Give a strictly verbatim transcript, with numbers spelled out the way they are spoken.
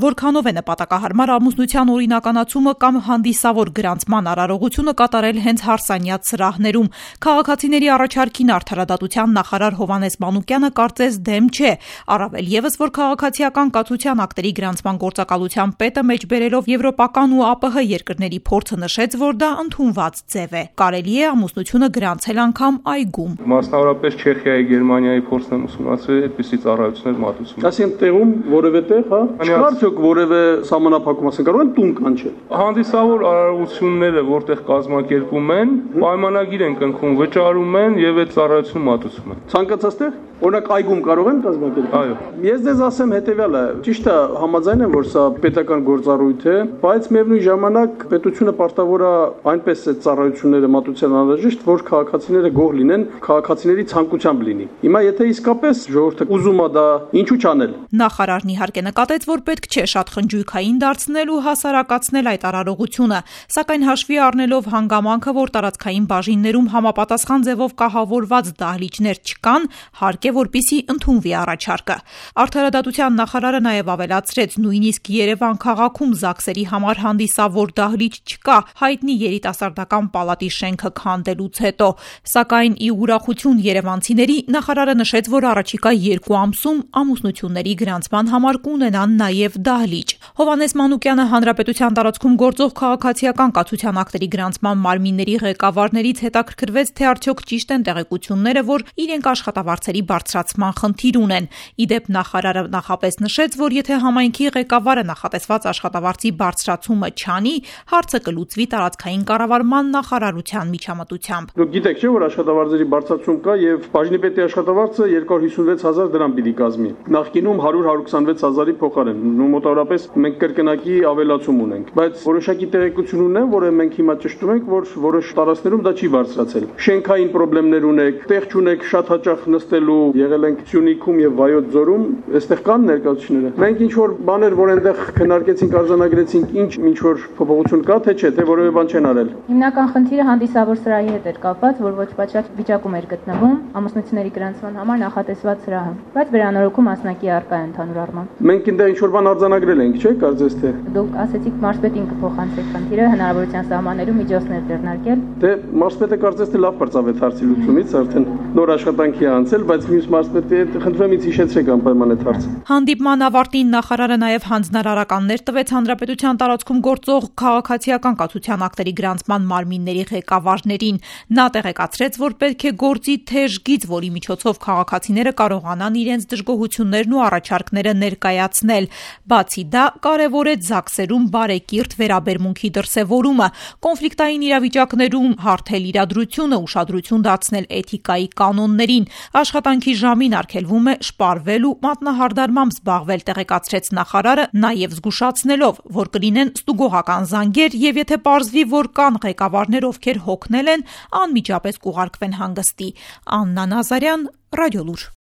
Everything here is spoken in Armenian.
Որքանով է նպատակահարմար ամուսնության օրինականացումը կամ հանդիսավոր գրանցման արարողությունը կատարել հենց հարսանյաց սրահներում։ Քաղաքացիների առաջարկին արդարադատության նախարար Հովհաննես Մանուկյանը կարծես դեմ չէ, առավել ևս, որ քաղաքացիական կացության ակտերի գրանցման գործակալության պետը մեջ բերելով եվրոպական ու ԱՊՀ երկրների փորձը նշեց, որ դա ընդունված ձև է։ Կարելի է ամուսնությունը գրանցել անգամ այգում։ Մասնավորապես Չեխիայի, Գերմանիայի փորձն եմ ուսումնասիրել այդպիսի ծառայություններ մատուցում։ Այսինքն տեղում որևէ տեղ, հա, չկարծեք որևէ սահմանափակում ասեն կարող են տուն կանչել։ Հանդիսավոր արարողությունները, որտեղ կազմակերպում են, պայմանագիր են կնքում, վճարում են եւ այդ ծառայությունը մատուցում են։ Ցանկացած տեղ օրինակ այգում կարող են կազմակերպել։ Այո։ Ես ձեզ ասեմ հետեւյալը, ճիշտ է, համաձայն եմ, որ սա պետական գործառույթ է, բայց միևնույն ժամանակ պետությունը պարտավոր է այնպես այդ ծառայությունները մատուցել անհրաժեշտ, որ քաղաքացիները գոհ լինեն, քաղաքացիների ցանկությամբ լինի։ Հիմա եթե իսկապես ժողովուրդը ուզում է դա, ինչու չանել։ Նախարարն իհարկե նկատեց, որ պետք չէ շատ խնջույքային դարձնել ու հասարակացնել այդ արարողությունը, սակայն հաշվի առնելով հանգամանքը, որ տարածքային բաժիններում համապատասխան ձևով կահավորված դահլիճներ չկան, հարկ է, որպեսզի ընդունվի առաջարկը։ Արդարադատության նախարարը նաև ավելացրեց, նույնիսկ Երևան քաղաքում ԶԱԳՍերի համար հանդիսավոր դահլիճ չկա, հայտնի երիտասարդական պալատի շենքը քանդելուց հետո, սակայն ի ուրախություն երևանցիների նախարարը նշեց, որ առաջիկա երկու ամսում ամուսնությունների գրանցման համար կունենան նաև դահլիճ։ Հովհաննես Մանուկյանը հանրապետության տարածքում գործող քաղաքացիական կացության ակտերի գրանցման մարմինների ղեկավարներից հետաքրքրվեց, թե արդյոք ճիշտ են տեղեկությունները, որ իրենք աշխատավարձերի բարձրացման խնդիր ունեն։ Իդեպ նախարարը նախապես նշեց, որ եթե համայնքի ղեկավարը նախատեսված աշխատավարձի բարձրացումը չանի, հարցը կլուծվի տարածքային կառավարման նախարարության միջամտությամբ։ Դուք գիտեք չէ, որ աշխատավարձերի բարձրացում կա եւ բաժնի պետի աշխատավարձը երկու հարյուր հիսունվեց հազար դրամ պիտի կազմի։ Նախկինում հարյուր հարյուր քսանվեց հազարի փոխարեն։ Մոտավորապես մենք կրկնակի ավելացում ունենք, բայց որոշակի տեղեկություն ունեմ, որ մենք հիմա ճշտում ենք, որ որոշ տարածքներում դա չի բարձրացել։ Շենքային խնդիրներ ունեք, տեղ չունեք շատ հաճախ նստելու, եղել ենք Սյունիքում եւ Վայոց ձորում, այստեղ կան ներկայացուցիչները։ Մենք ինչ որ բաներ, որ այնտեղ քննարկեցինք, արձանագրեցինք, ինչ ինչ որ փոփոխություն կա, թե չէ, թե որևէ բան չեն արել։ Հիմնական խնդիրը հանդիսավոր սրահի հետ էր կապված, որ ոչ պատշաճ վիճակում էր գտնվում ամուսնությունների գրանցման համար նախատեսված սրահը, բայց վերանորոգում մասնակի առկա է ընդհանուր առմամբ։ Մենք այնտեղ ինչ որ բան արձանագրել ենք, չէ՞, կարծես թե։ Դուք ասեցիք մարզպետին կփոխանցեք խնդիրը, հնարավորության սահմաններում միջոցներ ձեռնարկել։ Դե մարզպետը կարծես թե լավ բարձավեց հարցի լուծումից, արդեն նոր աշխատանքի է անցել, բայց մյուս մարզպետի հետ խնդրում եմ ինձ հիշեցրեք անպայման այդ հարցը։ Հանդիպման ավարտին նախարարը նաև հանձնարարականներ տվեց հանրապետության տարածքում գործող քաղաքացիական կացության ակտերի գրանցման մարմինների ղեկավարներին։ Նա տեղեկացրեց, որ պետք է գործի թեժ գիծ, որի միջոցով քաղաքացիները կարողանան իրենց դժգոհություններն ու առաջարկները ներկայացնել։ Բացի դա, կարևոր է ԶԱԳՍերում բարեկիրթ վերաբերմունքի դրսևորումը, կոնֆլիկտային իրավիճակներում հարթել իրադրությունը, ուշադրություն դարձնել էթիկայի կանոններին, աշխատանքի ժամին արգելվում է շպարվել ու մատնահարդարմամբ զբաղվել, տեղեկացրեց նախարարը, նաև զգուշացնելով, որ կլինեն ստուգողական զանգեր եւ եթե պարզվի, որ կան ղեկավարներ, ովքեր հոգնել են, անմիջապես կուղարկվեն հանգստի։ Աննա Նազարյան, Ռադիոլուր։